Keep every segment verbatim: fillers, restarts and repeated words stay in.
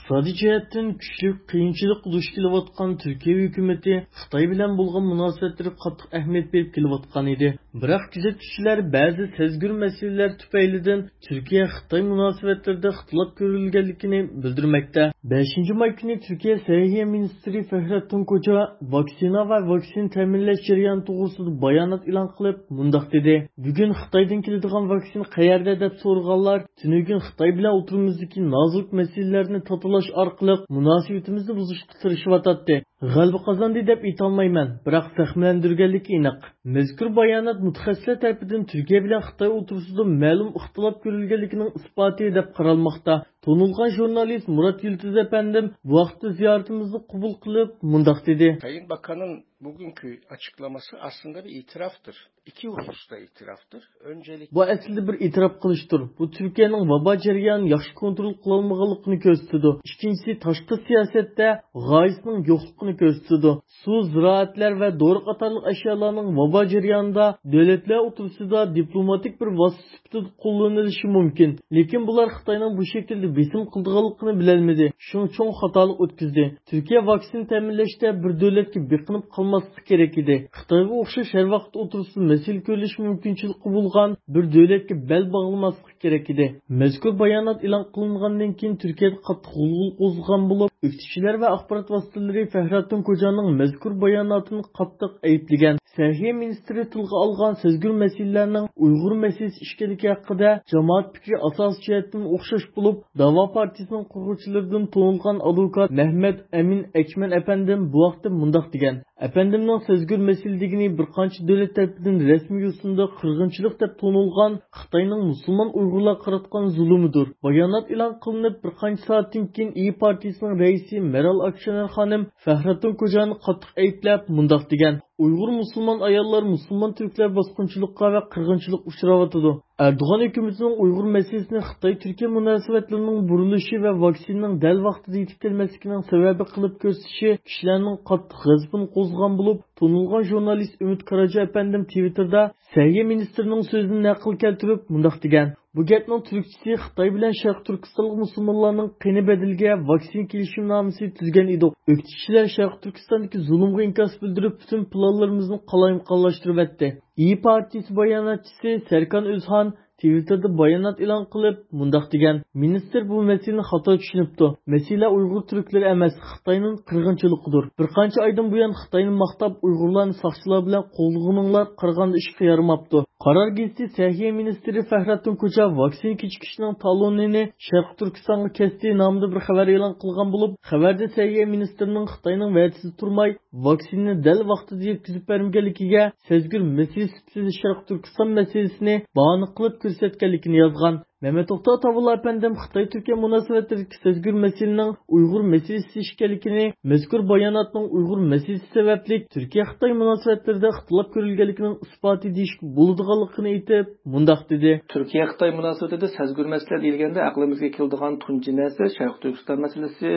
ئىقتىسادىي جەھەتتىن كۈچلۈك قىيىنچىلىققا دۇچ كېلىۋاتقان تۈركىيە ھۆكۈمىتى خىتاي بىلەن بولغان مۇناسىۋەتلىرىگە قاتتىق ئەھمىيەت بېرىپ كېلىۋاتقان ئىدى. بىراق كۆزەتكۈچىلەر بەزى سەزگۈر مەسىلىلەر تۈپەيلىدىن تۈركىيە خىتاي مۇناسىۋەتلىرىدە ئىختىلاپ كۆرۈلگەنلىكىنى بىلدۈرمەكتە. بەشىنچى ماي كۈنى تۈركىيە سەھىيە مىنىستىرى فەھرەتتىن كوجا ۋاكسىنا ۋە ۋاكسىنا تەمىنلەش جەريانى توغرىسىدا بايانات ئېلان قىلىپ، مۇنداق دېدى: بۈگۈن خىتايدىن كېلىدىغان ۋاكسىنا قەيەردە دەپ سورىغانلار تۈنۈگۈن خىتاي بىلەن ئوتتۇرىمىزدىكى نازۇك مەسىلىلەرنى تاتىلاش ئارقىلىق مۇناسىۋىتىمىزنى بۇزۇشقا تىرىشىۋاتاتتى. غەلىبە قازاندى دەپ ئېيتالمايمەن، بىراق زەخىملەندۈرگەنلىكى ئېنىق. مەزكۇر بايانات مۇتەخەسسىسلەر تەرىپىدىن تۈركىيە بىلەن خىتاي ئوتتۇرىسىدا مەلۇم ئىختىلاپ كۆرۈلگەنلىكىنىڭ ئىسپاتى دەپ قارالماقتا. تونۇلغان ژۇرنالىست مۇرات يىلدىز ئەپەندىم بۇ ھەقتە زىيارىتىمىزنى قوبۇل قىلىپ، مۇنداق دېدى. Sayın Bakan'ın bugünkü açıklaması aslında bir itiraftır. İki hususta itiraftır. Öncelikle بۇ ئەسلىدە بىر ئېتىراپ قىلىشتۇر. بۇ تۈركىيەنىڭ ۋابا جەريانىنى ياخشى كونترول قىلالمىغانلىقىنى كۆرسىتىدۇ. ئىككىنچىسى، تاشقى سىياسەتتە غايىسىنىڭ يوقلۇقىنى كۆرسىتىدۇ. سۇ، زىرائەتلەر ۋە دورا قاتارلىق ئەشيالارنىڭ ۋابا جەريانىدا دۆلەتلەر ئوتتۇرىسىدا دىپلوماتىك بىر ۋاسىتە سۈپىتىدە قوللىنىلىشى مۇمكىن. لېكىن بۇلار خىتاينىڭ بۇ شەكىلدە بېسىم قىلىدىغانلىقىنى بىلەلمىدى. شۇڭا چوڭ خاتالىق ئۆتكۈزدى. تۈركىيە ۋاكسىنا تەمىنلەشتە بىر دۆلەتكە بېقىنىپ قالماسلىقى كېرەك ئىدى. خىتايغا ئوخشاش ھەر ۋاقىت ئوتتۇرىسىدا مەسىلە كۆرۈلۈشى مۇمكىنچىلىكى بولغان بىر دۆلەتكە بەل باغلىماسلىقى كېرەك ئىدى. مەزكۇر بايانات ئېلان قىلىنغاندىن كېيىن تۈركىيەدە قاتتىق غۇلغۇلا قوزغىغان بولۇپ، ئۆكتىچىلەر ۋە ئاخبارات ۋاسىتىلىرى فەھرەتتىن كوجانىڭ مەزكۇر باياناتىنى قاتتىق ئەيىبلىگەن. سەھىيە مىنىستىرى تىلغا ئالغان سەزگۈر مەسىلىلەرنىڭ ئۇيغۇر مەسىلىسى ئىكەنلىكى ھەققىدە جامائەت پىكرى ئاساسىي جەھەتتىن ئوخشاش بولۇپ، داۋا پارتىيىسىنىڭ قۇرغۇچىلىرىدىن تونۇلغان ئادۋوكات مەھمەت ئەمىن ئەكمەن ئەپەندىم بۇ ھەقتە مۇنداق دېگەن: ئەپەندىمنىڭ سەزگۈر مەسىلە دېگىنى بىر قانچە دۆلەت تەرىپىدىن رەسمىي يوسۇندا قىرغىنچىلىق دەپ تونۇلغان خىتاينىڭ مۇسۇلمان ئۇيغۇرلارغا قاراتقان زۇلۇمىدۇر. بايانات ئېلان قىلىنىپ بىر قانچە سائەتتىن كېيىن ئىيى پارتىيىسىنىڭ رەئىسى مەرال ئاكشېنەر خانىم فەھرەتتىن كوجانى قاتتىق ئەيىبلەپ مۇنداق دېگەن: ئۇيغۇر مۇسۇلمان ئاياللار مۇسۇلمان تۈركلەر باسقۇنچىلىققا ۋە قىرغىنچىلىققا ئۇچراۋاتىدۇ. ئەردوغان ھۆكۈمىتىنىڭ ئۇيغۇر مەسىلىسىنى خىتاي تۈركىيە مۇناسىۋەتلىرىنىڭ بۇرۇلۇشى ۋە ۋاكسىنىنىڭ دەل ۋاقتىدا يېتىپ كەلمەسلىكىنىڭ سەۋەبى قىلىپ كۆرسىتىشى كىشىلەرنىڭ قاتتىق غەزىپىنى قوزغىغان بولۇپ، تونۇلغان ژۇرنالىست ئۈمىد كاراجا ئەپەندىم تىۋىتتېردا سەھىيە مىنىستىرىنىڭ سۆزىنى نەقىل كەلتۈرۈپ مۇنداق دېگەن: بۇ گەپنىڭ تۈركچىسى خىتاي بىلەن شەرقىي تۈركىستانلىق مۇسۇلمانلارنىڭ قېنى بەدىلىگە ۋاكسىنا كېلىشىمنامىسى تۈزگەن ئىدۇق. ئۆكتىچىلەر شەرقىي تۈركىستاندىكى زۇلۇمغا ئىنكاس بىلدۈرۈپ، پۈتۈن پىلانلىرىمىزنى قالايمىقانلاشتۇرۇۋەتتى. ئىيى پارتىيىسى باياناتچىسى سەركان ئۆزھان تىۋىتتېردا بايانات ئېلان قىلىپ مۇنداق دېگەن: مىنىستىر بۇ مەسىلىنى خاتا چۈشىنىپتۇ. مەسىلە ئۇيغۇر تۈركلىرى ئەمەس، خىتاينىڭ قىرغىنچىلىقىدۇر. بىر قانچە ئايدىن بۇيان خىتاينى ماختاپ، ئۇيغۇرلارنى ساقچىلار بىلەن قوغلىغىنىڭلار قارىغاندا ئىشقا يارىماپتۇ. قارار گېزىتى سەھىيە مىنىستىرى فەھرەتتىن كوچا ۋاكسىنا كېچىكىشىنىڭ تالونىنى شەرقىي تۈركىستانغا كەستى نامىدا بىر خەۋەر ئېلان قىلغان بولۇپ، خەۋەردە سەھىيە مىنىستىرىنىڭ خىتاينىڭ ۋەدىسىدە تۇرماي، ۋاكسىنىنى دەل ۋاقتىدا يەتكۈزۈپ بەرمىگەنلىكىگە سەزگۈر مەسىلىسى سۈپىتىدە شەرقىي تۈركىستان مەسىلىسىنى باھانە قىلىپ كۆرسەتكەنلىكىنى يازغان. مەمەت توختى ئاتاۋۇللا ئەپەندىم خىتاي تۈركىيە مۇناسىۋەتلىرىدىكى سەزگۈر مەسىلىنىڭ ئۇيغۇر مەسىلىسى ئىكەنلىكىنى، مەزكۇر باياناتنىڭ ئۇيغۇر مەسىلىسى سەۋەبلىك تۈركىيە خىتاي مۇناسىۋەتلىرىدە ئىختىلاپ كۆرۈلگەنلىكىنىڭ ئىسپاتى دېيىشكە بولىدىغانلىقىنى ئېيتىپ، مۇنداق دېدى. تۈركىيە خىتاي مۇناسىۋىتىدە سەزگۈر مەسىلە دېيىلگەندە ئەقلىمىزگە كېلىدىغان تۇنجى نەرسە شەرقىي تۈركىستان مەسىلىسى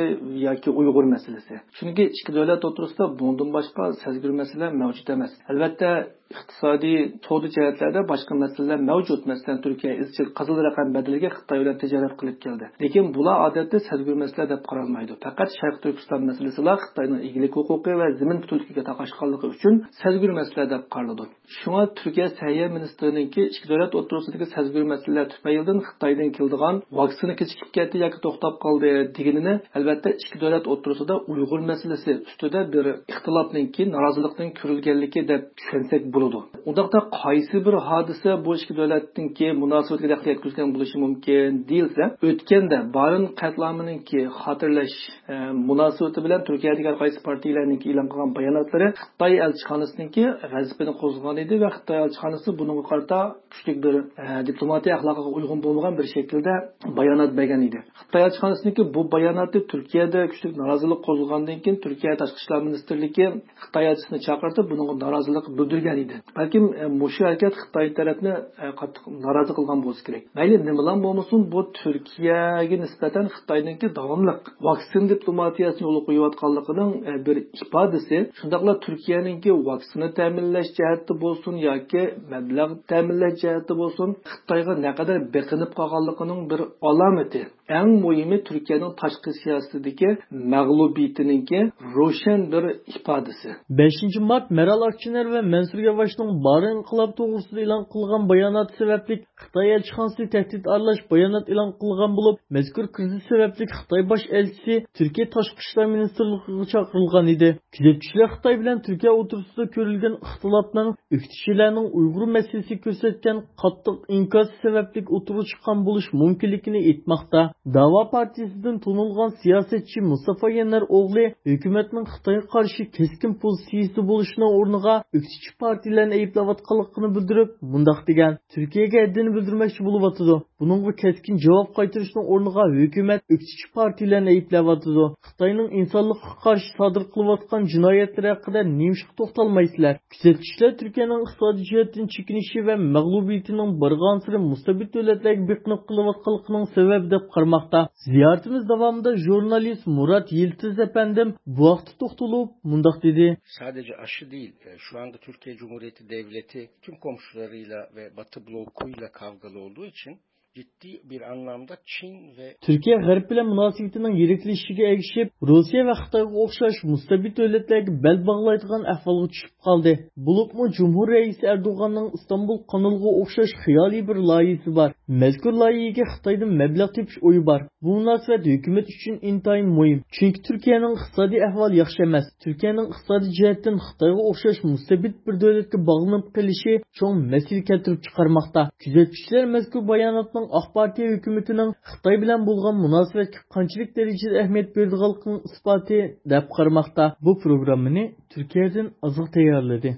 ياكى ئۇيغۇر مەسىلىسى. چۈنكى ئىككى دۆلەت ئوتتۇرىسىدا بۇنىڭدىن باشقا سەزگۈر مەسىلە مەۋجۇت ئەمەس. ئەلۋەتتە، ئىقتىسادىي، سودا جەھەتلەردە باشقا مەسىلىلەر مەۋجۇت. مەسىلەن، تۈركىيە ئىزچىل قىزىل رەقەم بەدىلىگە خىتاي بىلەن تىجارەت قىلىپ كەلدى. لېكىن بۇلار ئادەتتە سەزگۈر مەسىلە دەپ قارالمايدۇ. پەقەت شەرقىي تۈركىستان مەسىلىسىلا خىتاينىڭ ئىگىلىك ھوقۇقى ۋە زېمىن پۈتۈنلۈكىگە تاقاشقانلىقى ئۈچۈن سەزگۈر مەسىلە دەپ قارىلىدۇ. شۇڭا تۈركىيە سەھىيە مىنىستىرىنىڭكى ئىككى دۆلەت ئوتتۇرىسىدىكى سەزگۈر مەسىلىلەر تۈپەيلىدىن خىتايدىن كېلىدىغان ۋاكسىنا كېچىكىپ كەتتى ياكى توختاپ قالدى دېگىنىنى، ئەلۋەتتە، ئىككى دۆلەت ئوتتۇرىسىدا ئۇيغۇر مەسىلىسى ئۈستىدە بىر ئىختىلاپنىڭكى، نارازىلىقنىڭ كۆرۈلگەنلىكى دەپ چۈشەنسەك بولىدۇ. ئۇنداقتا قايسى بىر ھادىسە بۇ ئىككى دۆلەتنىڭكى مۇناسىۋىتىگە دەخلى يەتكۈزگەن بولۇشى مۇمكىن دېيىلسە، ئۆتكەندە بارىن قەتلىئامىنىڭكى خاتىرىلەش، ئە، مۇناسىۋىتى بىلەن تۈركىيەدىكى ھەر قايسى پارتىيەلەرنىڭكى ئېلان قىلغان باياناتلىرى خىتاي ئەلچىخانىسىنىڭكى غەزىپىنى قوزغىغان ئىدى ۋە خىتاي ئەلچىخانىسى بۇنىڭغا قارىتا كۈچلۈك بىر، ئە، دىپلوماتىيە ئەخلاقىغا ئۇيغۇن بولمىغان بىر شەكىلدە بايانات بەرگەن ئىدى. خىتاي ئەلچىخانىسىنىڭكى بۇ باياناتى تۈركىيەدە كۈچلۈك نارازىلىق قوزغىغاندىن كېيىن، تۈركىيە تاشقى ئىشلار مىنىستىرلىكى خىتاي ئەلچىسىنى چاقىرتىپ، بۇنىڭغا نارازىلىق بىلدۈرگەن ئىدى. بەلكىم، ئە، مۇشۇ ھەرىكەت خىتاي تەرەپنى، ئە، قاتتىق نارازى قىلغان بولسا كېرەك. مەيلى نېمىلام بولمىسۇن، بۇ تۈركىيەگە نىسبەتەن خىتاينىڭكى داۋاملىق ۋاكسىنا دىپلوماتىيەسىنى يولغا قويۇۋاتقانلىقىنىڭ، ئە، بىر ئىپادىسى. شۇنداقلا تۈركىيەنىڭكى ۋاكسىنا تەمىنلەش جەھەتتە بولسۇن ياكى مەبلەغ تەمىنلەش جەھەتتە بولسۇن، خىتايغا نەقەدەر بېقىنىپ قالغانلىقىنىڭ بىر ئالامىتى. ئەڭ مۇھىمى، تۈركىيەنىڭ تاشقى سىياسىتىدىكى مەغلۇبىيىتىنىڭكى روشەن بىر ئىپادىسى. بەشىنچى مارت مەرال ئاكچىنەر ۋە مەنسۇر ياۋاشنىڭ بارىن ئىنقىلاب توغرىسىدا ئېلان قىلغان باياناتى سەۋەبلىك خىتاي ئەلچىخانىسى تەھدىت ئارىلاش بايانات ئېلان قىلغان بولۇپ، مەزكۇر كىرىزىس سەۋەبلىك خىتاي باش ئەلچىسى تۈركىيە تاشقى ئىشلار مىنىستىرلىقىغا چاقىرىلغان ئىدى. كۆزەتكۈچىلەر خىتاي بىلەن تۈركىيە ئوتتۇرىسىدا كۆرۈلگەن ئىختىلاپنىڭ ئۆكتىچىلەرنىڭ ئۇيغۇر مەسىلىسىگە كۆرسەتكەن قاتتىق ئىنكاسى سەۋەبلىك ئوتتۇرىغا چىققان بولۇشى مۇمكىنلىكىنى ئېيتماقتا. داۋا پارتىيىسىدىن تونۇلغان سىياسەتچى مۇستافا يەنەر ئوغلى ھۆكۈمەتنىڭ خىتايغا قارشى كەسكىن پوزىتسىيىسىدە بولۇشىنىڭ ئورنىغا ئۆكتىچى پارتىيىلەرنى ئەيىبلەۋاتقانلىقىنى بىلدۈرۈپ، مۇنداق دېگەن: تۈركىيەگە ھەددىنى بىلدۈرمەكچى بولۇۋاتىدۇ. بۇنىڭغا كەسكىن جاۋاب قايتۇرۇشنىڭ ئورنىغا ھۆكۈمەت ئۆكتىچى پارتىيىلەرنى ئەيىبلەۋاتىدۇ. خىتاينىڭ ئىنسانلىققا قارشى سادىر قىلىۋاتقان جىنايەتلىرى ھەققىدە نېمىشقا توختالمايسىلەر؟ كۆزەتكۈچىلەر تۈركىيەنىڭ ئىقتىسادىي جەھەتتىن چېكىنىشى ۋە مەغلۇبىيىتىنىڭ بارغانسېرى مۇستەبىت دۆلەتلەرگە بېقىنىپ قېلىۋاتقانلىقىنىڭ سەۋەبى دەپ قارىماقتا. زىيارىتىمىز داۋامىدا ژۇرنالىست مۇرات يىلتىز ئەپەندىم بۇ ھەقتە توختىلىپ مۇنداق دېدى. Sadece aşı değil, e, şu anda Türkiye Cumhuriyeti Devleti tüm komşularıyla ve Batı blokuyla kavgalı olduğu için ciddi bir anlamda Çin ve تۈركىيە غەرب بىلەن مۇناسىۋىتىنىڭ يىرىكلىشىشىگە ئەگىشىپ، روسىيە ۋە خىتايغا ئوخشاش مۇستەبىت دۆلەتلەرگە بەل باغلايدىغان ئەھۋالغا چۈشۈپ قالدى. بولۇپمۇ جۇمھۇر رەئىسى ئەردوغاننىڭ ئىستانبۇل قانىلىغا ئوخشاش خىيالىي بىر لايىھىسى بار. مەزكۇر لايىھىگە خىتايدىن مەبلەغ تېپىش ئويى بار. بۇ مۇناسىۋەت ھۆكۈمەت ئۈچۈن ئىنتايىن مۇھىم، چۈنكى تۈركىيەنىڭ ئىقتىسادىي ئەھۋالى ياخشى ئەمەس. تۈركىيەنىڭ ئىقتىسادىي جەھەتتىن خىتايغا ئوخشاش مۇستەبىت بىر دۆلەتكە باغلىنىپ قېلىشى چوڭ مەسىلە كەلتۈرۈپ چىقارماقتا. كۆزەتكۈچىلەر مەزكۇر باياناتنىڭ ئاق پارتىيە ھۆكۈمىتىنىڭ خىتاي بىلەن بولغان مۇناسىۋەتكە قانچىلىك دەرىجىدە ئەھمىيەت بېرىدىغانلىقىنىڭ ئىسپاتى دەپ قارىماقتا. بۇ پروگراممىنى تۈركىيەدىن ئازىغ تەييارلىدى.